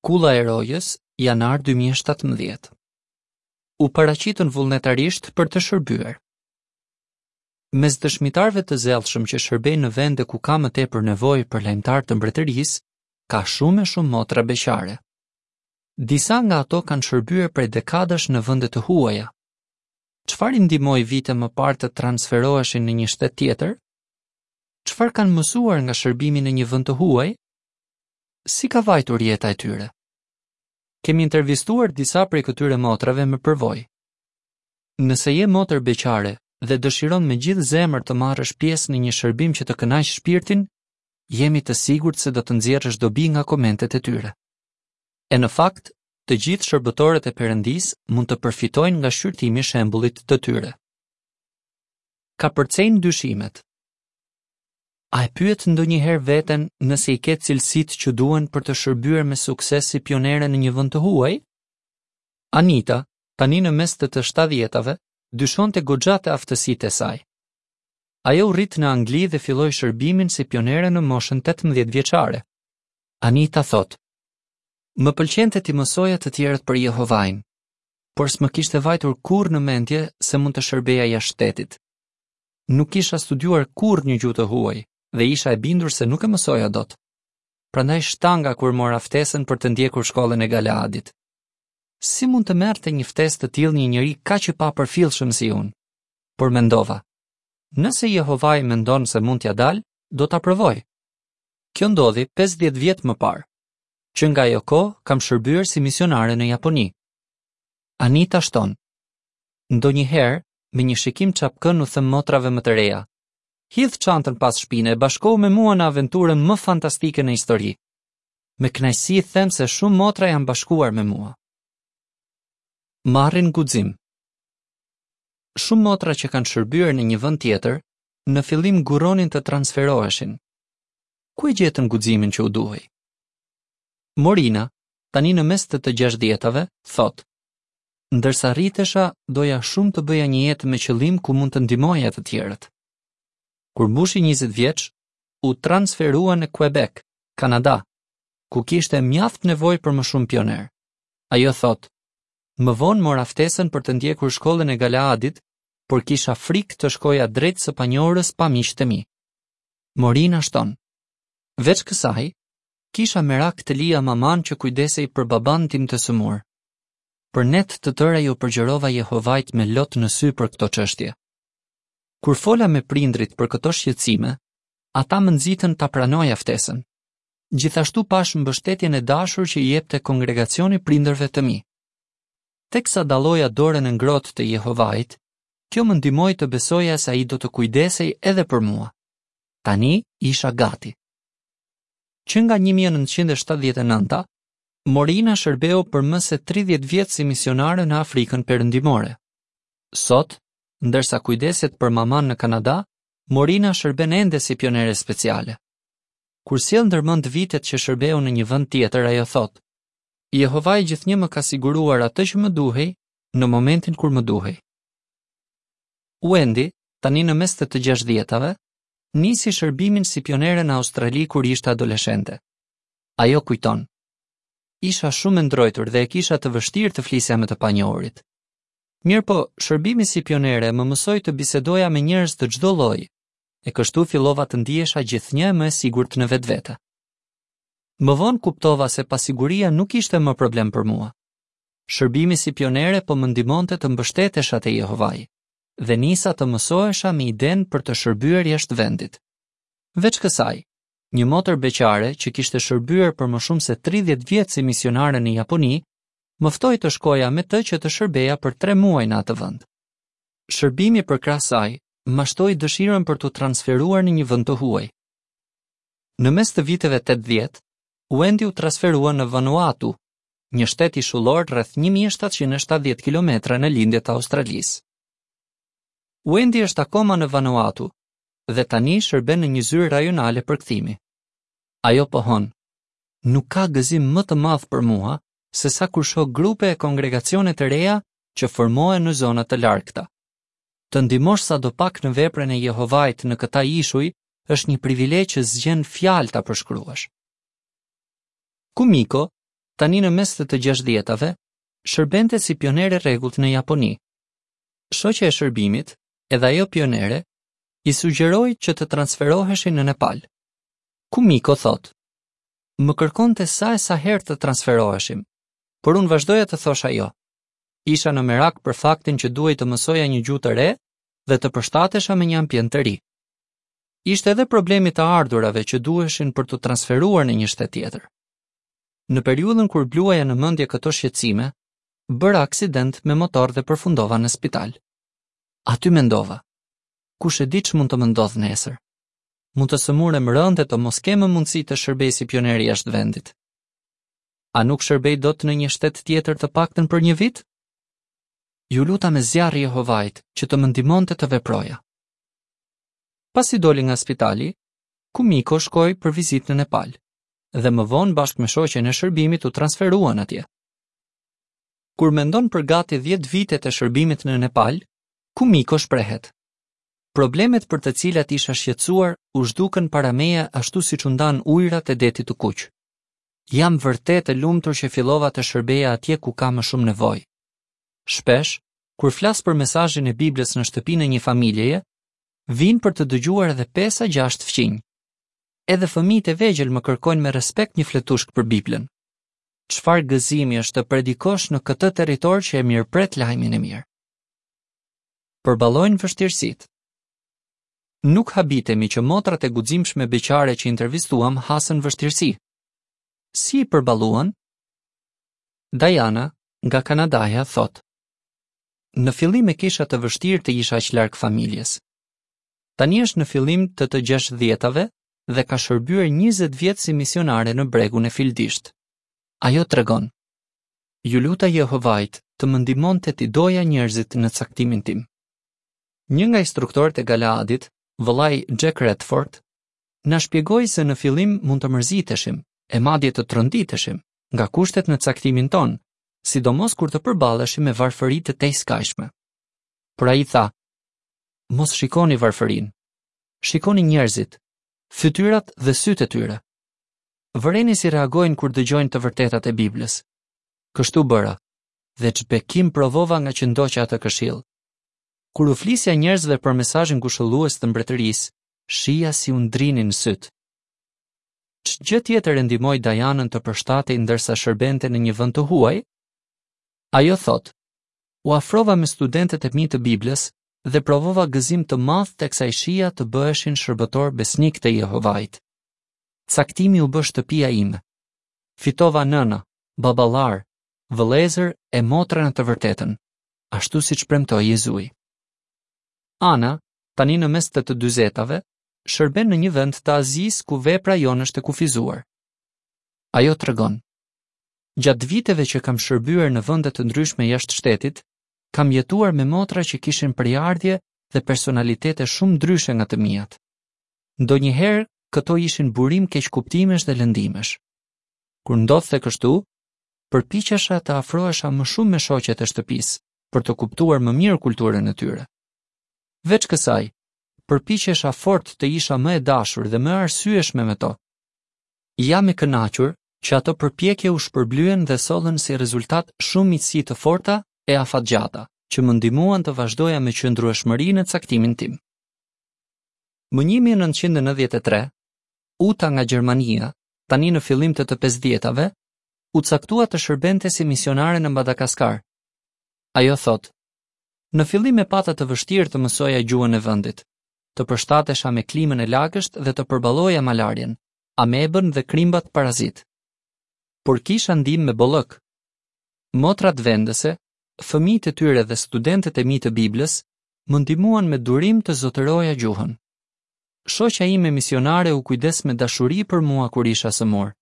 Kulla e Rojës, janar 2017. U paraqitën vullnetarisht për të shërbyer. Mes dëshmitarëve të zellshëm që shërbejnë në vende ku ka më tepër nevojë për lajmëtarë të mbretërisë, ka shumë e shumë motra beqare. Disa nga ato kanë shërbyer prej dekadash në vende të huaja. Çfarë i ndihmoi vite më parë të transferoheshin në një shtet tjetër? Çfarë kanë mësuar nga shërbimi në një vend të huaj? Si ka vajtur jeta e tyre? Kemi intervistuar disa prej këtyre motrave me përvojë. Nëse je motër beqare dhe dëshiron me gjithë zemër të marrësh pjesë në një shërbim që të kënaq shpirtin, jemi të sigurt se do të nxjerrësh dobi nga komentet e tyre. E në fakt, të gjithë shërbëtorët e Perëndisë mund të përfitojnë nga shqyrtimi i shembullit të tyre. Kapërcejnë dyshimet. A e pyet ndonjëherë veten nëse i ke cilësitë që duhen për të shërbyer me sukses si pionere në një vend të huaj? Anita, tani në mes të të shtatëdhjetave, dyshonte goxha te aftësitë e saj. Ajo u rrit në Angli dhe filloi shërbimin si pionere në moshën 18 vjeçare. Anita thotë: Më pëlqente t'i mësoja të tjerët për Jehovain, por s'më kishte vajtur kurrë në mendje se mund të shërbeja jashtë shtetit. Nuk kisha studiuar kurrë një gjuhë të huaj dhe isha e bindur se nuk e mësoja dot. Prandaj shtanga kur mora ftesën për të ndjekur shkollën e Galeadit. Si mund të merrte një ftesë të tillë një njeri kaq i papërfillshëm si unë? Por mendova, nëse Jehovai mendon se mund t'ia dal, do ta provoj. Kjo ndodhi 50 vjet më parë. Që nga ajo kohë kam shërbyer si misionare në Japoni. Anita shton. Ndonjëherë, me një shikim çapkën u them motrave më të reja. Hidh çantën pas shpine e bashkohu me mua në aventurën më fantastike në histori. Me kënaqësi them se shumë motra janë bashkuar me mua. Marrin guxim. Shumë motra që kanë shërbyer në një vend tjetër, në fillim ngurronin të transferoheshin. Ku e gjetën guximin që u duhej? Morina, tani në mes të të gjashtëdhjetave, thotë: Ndërsa rritesha, doja shumë të bëja një jetë me qëllim ku mund të ndihmoja të tjerët. Kur mbushi 20 vjeç, u transferua në Quebec, Kanada, ku kishte mjaft nevojë për më shumë pionerë. Ajo thotë, më vonë mora ftesën për të ndjekur shkollën e Galeadit, por kisha frikë të shkoja drejt së panjohurës pa miqtë e mi. Morina shton, veç kësaj, kisha merak të lija mamanë që kujdesej për babanë tim të sëmurë. Për net të tëra iu përgjërova Jehovait me lot në sy për këto çështje. Kur fola me prindërit për këto shqetësime, ata më nxitën ta pranoja ftesën. Gjithashtu pashë mbështetjen e dashur që i jepte kongregacioni prindërve të mi. Teksa dalloja dorën e ngrohtë të Jehovait, kjo më ndihmoi të besoja se ai do të kujdesej edhe për mua. Tani isha gati. Që nga 1979-a, Morina shërbeu për më se 30 vjet si misionare në Afrikën Perëndimore. Sot, ndërsa kujdeset për mamanë në Kanada, Morina shërben ende si pionere speciale. Kur sjell ndërmend vitet që shërbeu në një vend tjetër, ajo thotë: Jehovai gjithnjë më ka siguruar atë që më duhej në momentin kur më duhej. Wendy, tani në mes të të gjashtëdhjetave, nisi shërbimin si pionere në Australi kur ishte adoleshente. Ajo kujton: Isha shumë e ndrojtur dhe e kisha të vështirë të flisja me të panjohurit. Mirëpo, shërbimi si pionere më mësoi të bisedoja me njerëz të çdo lloji, e kështu fillova të ndihesha gjithnjë e më e sigurt në vetvete. Më vonë kuptova se pasiguria nuk ishte më problem për mua. Shërbimi si pionere po më ndihmonte të mbështetesha te Jehovai dhe nisa të mësohesha me idenë për të shërbyer jashtë vendit. Veç kësaj, një motër beqare që kishte shërbyer për më shumë se 30 vjet si misionare në Japoni, më ftoi të shkoja me të që të shërbeja për 3 muaj në atë vend. Shërbimi përkrah saj ma shtoi dëshirën për t'u transferuar në një vend të huaj. Në mes të viteve 80, Wendy u transferua në Vanuatu, një shtet ishullor rreth 1770 kilometra në lindje të Australisë. Wendy është akoma në Vanuatu dhe tani shërben në një zyrë rajonale përkthimi. Ajo pohon, nuk ka gëzim më të madh për mua sesa kur shoh grupe e kongregacione të reja që formohen në zona të largëta. Të ndihmosh sadopak në veprën e Jehovait në këta ishuj është një privilegj që s'gjen fjalë ta përshkruash. Kumiko, tani në mes të të gjashtëdhjetave, shërbente si pionere e rregullt në Japoni. Shoqja e shërbimit, edhe ajo pionere, i sugjeroi që të transferoheshin në Nepal. Kumiko thotë, më kërkonte sa e sa herë të transferoheshim, por unë vazhdoja të thosha jo. Isha në merak për faktin që duhej të mësoja një gjuhë të re dhe të përshtatesha me një ambient të ri. Ishte edhe problemi i të ardhurave që duheshin për t'u transferuar në një shtet tjetër. Në periudhën kur bluaja në mendje këto shqetësime, bëra aksident me motor dhe përfundova në spital. Aty mendova, kush e di ç'mund të më ndodhë nesër. Mund të sëmurem rëndë e të mos kem më mundësi të shërbej si pionere jashtë vendit. A nuk shërbej dot në një shtet tjetër të paktën për një vit? Iu luta me zjarr Jehovait që të më ndihmonte të veproja. Pasi doli nga spitali, Kumiko shkoi për vizitë në Nepal dhe më vonë bashkë me shoqen e shërbimit u transferuan atje. Kur mendon për gati 10 vitet e shërbimit në Nepal, Kumiko shprehet: Problemet për të cilat isha shqetësuar u zhdukën para meje ashtu siç u ndanë ujërat e Detit të Kuq. Jam vërtet e lumtur që fillova të shërbeja atje ku ka më shumë nevojë. Shpesh, kur flas për mesazhin e Biblës në shtëpinë e një familjeje, vijnë për të dëgjuar edhe 5 a 6 fqinj. Edhe fëmijët e vegjël më kërkojnë me respekt një fletushkë për Biblën. Çfarë gëzimi është të predikosh në këtë territor që e mirëpret lajmin e mirë. Përballojnë vështirësitë. Nuk habitemi që motrat e guximshme beqare që intervistuam hasën vështirësi. Si i përballuan? Dajana, nga Kanadaja, thotë: Në fillim e kisha të vështirë të isha aq larg familjes. Tani është në fillim të të gjashtëdhjetave dhe ka shërbyer 20 vjet si misionare në bregun e Fildishtë. Ajo tregon: Iu luta Jehovait të më ndihmonte t'i doja njerëzit në caktimin tim. Një nga instruktorët e Galaadit, vëllai Jack Redford, na shpjegoi se në fillim mund të mërziteshim, e madje të tronditeshim, nga kushtet në caktimin tonë, sidomos kur të përballeshim me varfëri të tejskajshme. Por ai tha, mos shikoni varfërinë, shikoni njerëzit, fytyrat dhe sytë e tyre. Vëreni si reagojnë kur dëgjojnë të vërtetat e Biblës. Kështu bëra, dhe ç'bekim provova ngaqë ndoqa atë këshillë. Kur u flisja njerëzve për mesazhin ngushëllues të mbretërisë, shihja si u ndrinin sytë. Ç'gjë tjetër e ndihmoi Dajanën të përshtatej ndërsa shërbente në një vend të huaj? Ajo thotë, U afrova me studentët e mi të Biblës dhe provova gëzim të madh teksa i shihja të bëheshin shërbëtorë besnikë të Jehovait. Caktimi u bë shtëpia ime. Fitova nëna, baballarë, vëllezër e motra në të vërtetën, ashtu siç premtoi Jezui. Ana, tani në mes të të dyzetave, shërben në një vend të Azisë ku vepra jonë është e kufizuar. Ajo tregon: Gjatë viteve që kam shërbyer në vende të ndryshme jashtë shtetit, kam jetuar me motra që kishin prejardhje dhe personalitete shumë ndryshe nga të miat. Ndonjëherë këto ishin burim keqkuptimesh dhe lëndimesh. Kur ndodhte kështu, përpiqesha të afrohesha më shumë me shoqet e shtëpisë për të kuptuar më mirë kulturën e tyre. Veç kësaj, përpiqesha fort të isha më e dashur dhe më e arsyeshme me to. Jam e kënaqur që ato përpjekje u shpërblyen dhe sollën si rezultat shumë miqësi të forta e afatgjata, që më ndihmuan të vazhdoja me qëndrueshmëri në caktimin tim. Më 1993, Uta nga Gjermania, tani në fillim të të pesëdhjetave, u caktua të shërbente si misionare në Madagaskar. Ajo thotë: Në fillim e pata të vështirë të mësoja gjuhën e vendit, të përshtatesha me klimën e lagësht dhe të përballoja malarien, amebën dhe krimbat parazitë. Por kisha ndihmë me bollëk. Motrat vendëse, fëmijët e tyre dhe studentët e mi të Biblës më ndihmuan me durim të zotëroja gjuhën. Shoqja ime misionare u kujdes me dashuri për mua kur isha sëmurë.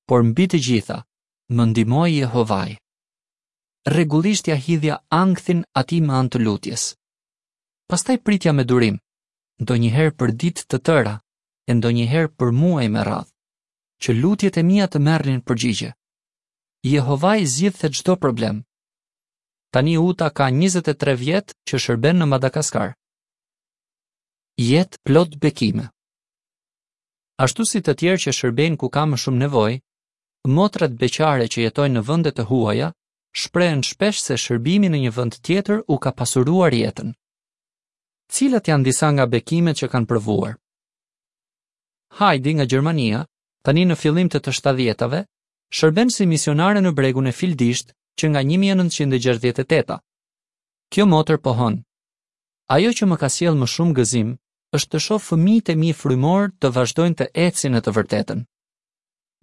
Por mbi të gjitha, më ndihmoi Jehovai. Rregullisht ia hidhja ankthin atij me anë të lutjes. Pastaj pritja me durim, ndonjëherë për ditë të tëra e ndonjëherë për muaj me radhë, që lutjet e mia të merrnin përgjigje. Jehovai zgjidhte çdo problem. Tani Uta ka 23 vjet që shërben në Madagaskar. Jetë plot bekime. Ashtu si të tjerë që shërbejnë ku ka më shumë nevojë, Motrat beqare që jetojnë në vende të huaja shprehen shpesh se shërbimi në një vend tjetër u ka pasuruar jetën. Cilat janë disa nga bekimet që kanë provuar? Heidi nga Gjermania, tani në fillim të të shtatëdhjetave, shërben si misionare në bregun e Fildishtë që nga 1968-a. Kjo motër pohon: Ajo që më ka sjellë më shumë gëzim është të shoh fëmijët e mi frymorë të vazhdojnë të ecin në të vërtetën.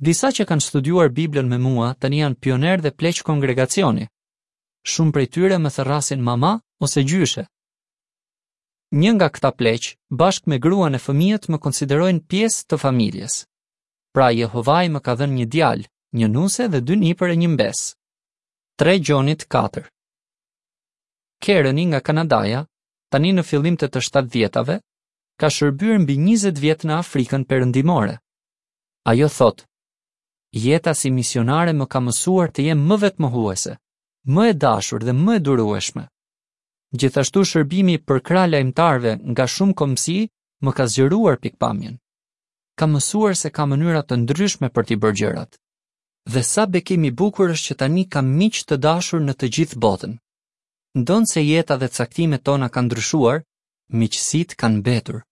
Disa që kanë studiuar Biblën me mua tani janë pionerë dhe pleq kongregacioni. Shumë prej tyre më thërrasin mama ose gjyshe. Një nga këta pleq, bashkë me gruan e fëmijët më konsiderojnë pjesë të familjes. Pra Jehovai më ka dhënë një djalë, një nuse dhe dy nipër e një mbesë. 3 Gjonit 4 Kereni nga Kanadaja, tani në fillim të të shtatëdhjetave, ka shërbyer mbi 20 vjet në Afrikën Perëndimore. Ajo thotë, Jeta si misionare më ka mësuar të jem më vetëmohuese, më e dashur dhe më e durueshme. Gjithashtu shërbimi përkrah lajmëtarëve nga shumë kombësi më ka zgjeruar pikëpamjen. Kam mësuar se ka mënyra të ndryshme për t'i bërë gjërat. Dhe sa bekim i bukur është që tani kam miq të dashur në të gjithë botën. Ndonëse jeta dhe caktimet tona kanë ndryshuar, miqësitë kanë mbetur.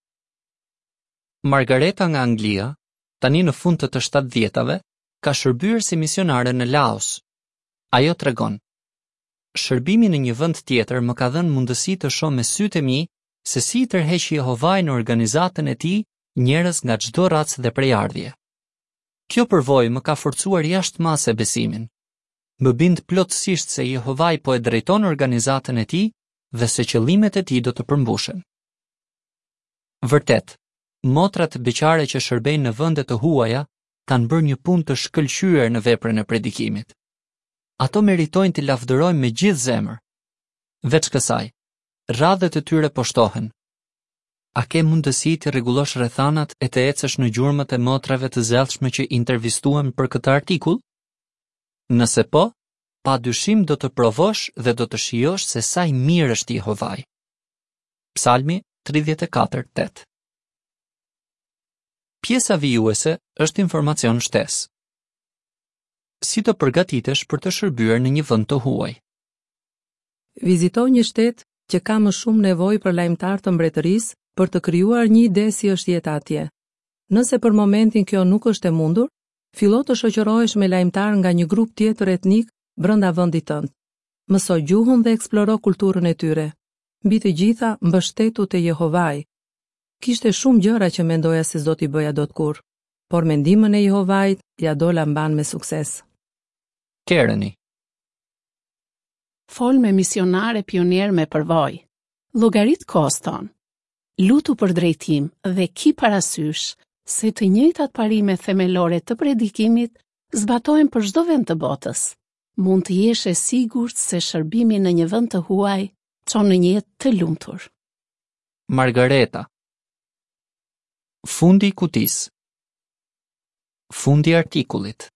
Margareta nga Anglia, tani në fund të të shtatëdhjetave, ka shërbyer si misionare në Laos. Ajo tregon: Shërbimi në një vend tjetër më ka dhënë mundësi të shoh me sytë e mi se si i tërheq Jehovai në organizatën e tij njerëz nga çdo racë dhe prejardhje. Kjo përvojë më ka forcuar jashtë mase besimin. Më bind plotësisht se Jehovai po e drejton organizatën e tij dhe se qëllimet e tij do të përmbushen. Vërtet, motrat beqare që shërbejnë në vende të huaja kanë bërë një punë të shkëlqyer në veprën e predikimit. Ato meritojnë t'i lavdërojmë me gjithë zemër. Veç kësaj, radhët e tyre po shtohen. A ke mundësi t'i rregullosh rrethanat e të ecësh në gjurmët e motrave të zellshme që intervistuam për këtë artikull? Nëse po, pa dyshim do të provosh dhe do të shijosh se sa i mirë është Jehovai. Psalmi 34:8. Pjesa vijuese është informacion shtesë. Si të përgatitesh për të shërbyer në një vend të huaj? Vizito një shtet që ka më shumë nevojë për lajmëtarë të mbretërisë për të krijuar një ide si është jeta atje. Nëse për momentin kjo nuk është e mundur, fillo të shoqërohesh me lajmëtarë nga një grup tjetër etnik brenda vendit tënd. Mëso gjuhën dhe eksploro kulturën e tyre. Mbi të gjitha, mbështetu te Jehovai. Kishte shumë gjëra që mendoja se s'do t'i bëja dot kurrë, por me ndihmën e Jehovait ia dola mbanë me sukses. Kereni. Fol me misionarë e pionierë me përvojë. Llogarit koston. Lutu për drejtim dhe ki parasysh se të njëjtat parime themelore të predikimit zbatohen për çdo vend të botës. Mund të jesh e sigurt se shërbimi në një vend të huaj çon në një jetë të lumtur. Margareta. Fundi i kutisë. Fundi i artikullit.